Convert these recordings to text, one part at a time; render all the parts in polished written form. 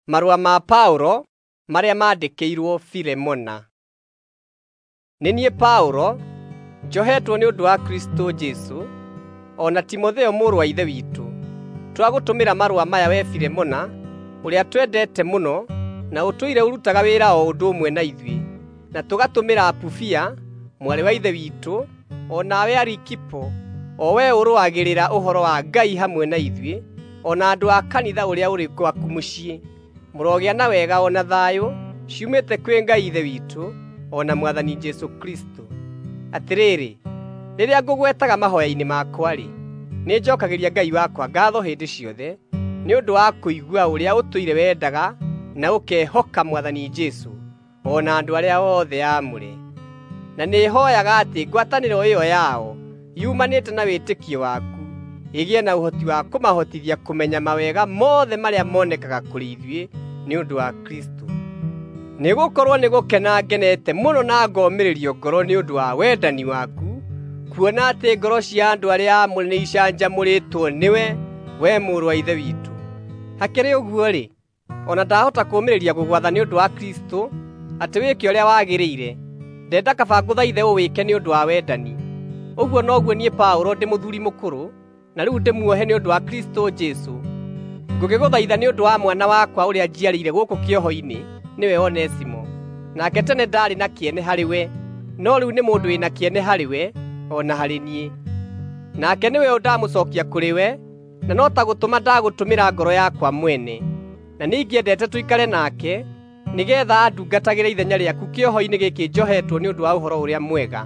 Marũa ma Paũlo marĩa maandĩkĩirwo Filemona. Nĩ niĩ Paũlo, njohetwo nĩ ũndũ wa Kristũ Jesũ, o na Timotheo mũrũ wa Ithe witũ, twagũtũmĩra marũa maya wee Filemona, ũrĩa twendete mũno na ũtũire ũrutaga wĩra o ũndũ ũmwe na ithuĩ, na tũgatũmĩra Apufia, mwarĩ wa Ithe witũ, o nawe Arikipo, o wee ũrũagĩrĩra ũhoro wa Ngai hamwe na ithuĩ, o na andũ a kanitha ũrĩa ũrĩ gwaku mũciĩ. Mũrogĩa na wega o na thayũ ciumĩte kwĩ Ngai Ithe witũ o na Mwathani Jesũ Kristũ. Atĩrĩrĩ, rĩrĩa ngũgwetaga mahooya-inĩ makwa-rĩ, nĩnjokagĩria Ngai wakwa ngaatho hĩndĩ ciothe nĩ ũndũ wa kũigua ũrĩa ũtũire wendaga na ũkehoka Mwathani Jesũ o na andũ arĩa othe aamũre. Na nĩhooyaga atĩ ngwatanĩro ĩyo yao yumanĩte na wĩtĩkio waku ĩgĩe na ũhoti wa kũmahotithia kũmenya mawega mothe marĩa monekaga kũrĩ ithuĩ nĩ ũndũ wa Kristũ. Nĩgũkorwo nĩgũkena ngenete mũno na ngomĩrĩrio ngoro nĩ ũndũ wa wendani waku, kuona atĩ ngoro cia andũ arĩa aamũre nĩicanjamũrĩtwo nĩwe, wee mũrũ wa Ithe witũ. Hakĩrĩ ũguo-rĩ, o na ndahota kũũmĩrĩria gũgwatha nĩ ũndũ wa Kristũ atĩ wĩke ũrĩa wagĩrĩire, ndenda kaba ngũthaithe ũwĩke nĩ ũndũ wa wendani. Ũguo noguo niĩ Paũlũ ndĩ mũthuuri mũkũrũ, na rĩu ndĩmuohe nĩ ũndũ wa Kristũ Jesũ. Ngũgĩgũthaitha nĩ ũndũ wa mwana wakwa ũrĩa njiarĩire gũkũ kĩoho-inĩ, nĩwe Onesimo. Nake tene ndaarĩ na kĩene harĩwe, no rĩu nĩ mũndũ wĩna kĩene harĩwe o na harĩ niĩ. Nake nĩwe ũ ndamũcookia kũrĩ we, na no ta gũtũma ndagũtũmĩra ngoro yakwa mwene. Na nĩingĩendete tũikare nake, nĩgeetha andungatagĩre ithenya rĩaku kĩoho-inĩ gĩkĩ njohetwo nĩ ũndũ wa Ũhoro-ũrĩa-Mwega.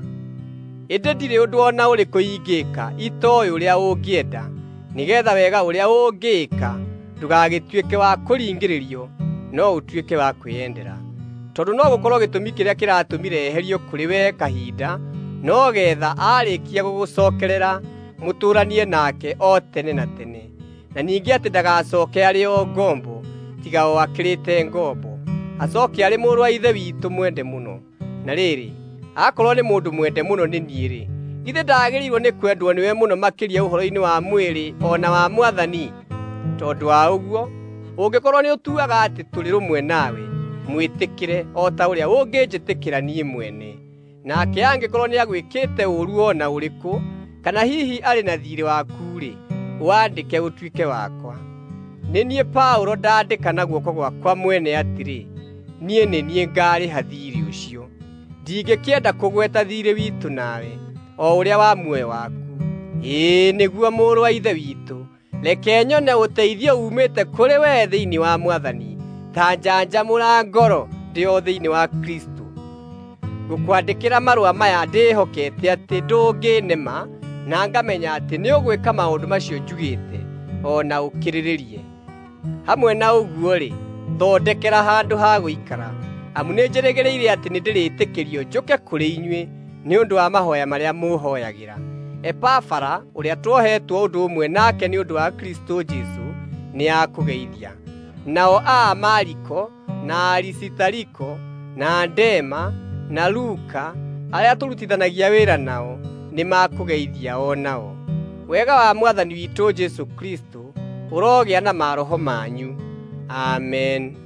Ĩndĩ ndirĩ ũndũ o na ũrĩkũ ingĩĩka itooĩ ũrĩa ũngĩenda, nĩgeetha wega ũrĩa ũngĩĩka ndũgagĩtuĩke wa kũringĩrĩrio, no ũtuĩke wa kwĩyendera. Tondũ no gũkorwo gĩtũmi kĩrĩa kĩratũmire eherio kũrĩ we kahinda, no getha aarĩkia gũgũcookerera mũtũũranie nake o tene na tene, na ningĩ atĩ ndagacooke arĩ o ngombo, tiga o akĩrĩte ngombo, acooke arĩ mũrũ wa Ithe witũ mwende mũno. Na rĩrĩ, akorwo nĩ mũndũ mwende mũno nĩ niĩ-rĩ, githĩ ndagĩrĩirwo nĩ kwendwo nĩwe mũno makĩria ũhoro-inĩ wa mwĩrĩ o na wa Mwathani? Tondũ wa ũguo, ũngĩkorwo nĩũtuaga atĩ tũrĩ rũmwe nawe, mwĩtĩkĩre o ta ũrĩa ũngĩnjĩtĩkĩra niĩ mwene. Nake angĩkorwo nĩagwĩkĩte ũũru o na ũrĩkũ, kana hihi arĩ na thiirĩ waku-rĩ, wandĩke ũtuĩke wakwa. Nĩ niĩ Paũlũ ndaandĩka na guoko gwakwa mwene atĩrĩ, niĩ nĩ niĩ ngaarĩha thiirĩ ũcio. Ndingĩkĩenda kũgweta thiirĩ witũ nawe, o ũrĩa wa muoyo waku. Ĩĩ nĩguo mũrũ wa Ithe witũ, reke nyone ũteithio uumĩte kũrĩ wee thĩinĩ wa Mwathani, ta njanjamũra ngoro ndĩ o thĩinĩ wa Kristũ. Ngũkwandĩkĩra marũa maya ndĩĩhokete atĩ ndũngĩnema, na ngamenya atĩ nĩũgwĩka maũndũ macio njugĩte, o na ũkĩrĩrĩrie. Hamwe na ũguo-rĩ, thondekera handũ ha gũikara, amu nĩnjĩrĩgĩrĩire atĩ nĩndĩrĩtĩkĩrio njũke kũrĩ inyuĩ nĩ ũndũ wa mahooya marĩa mũũhooyagĩra. Epafara, ũrĩa tuohetwo ũndũ ũmwe nake nĩ ũndũ wa Kristũ Jesũ, nĩakũgeithia. Nao a Mariko, na Arisitariko, na Dema, na Luka, arĩa tũrutithanagia wĩra nao, nĩmakũgeithia o nao. Wega wa Mwathani witũ Jesũ Kristũ ũrogĩa na maroho manyu. Amen.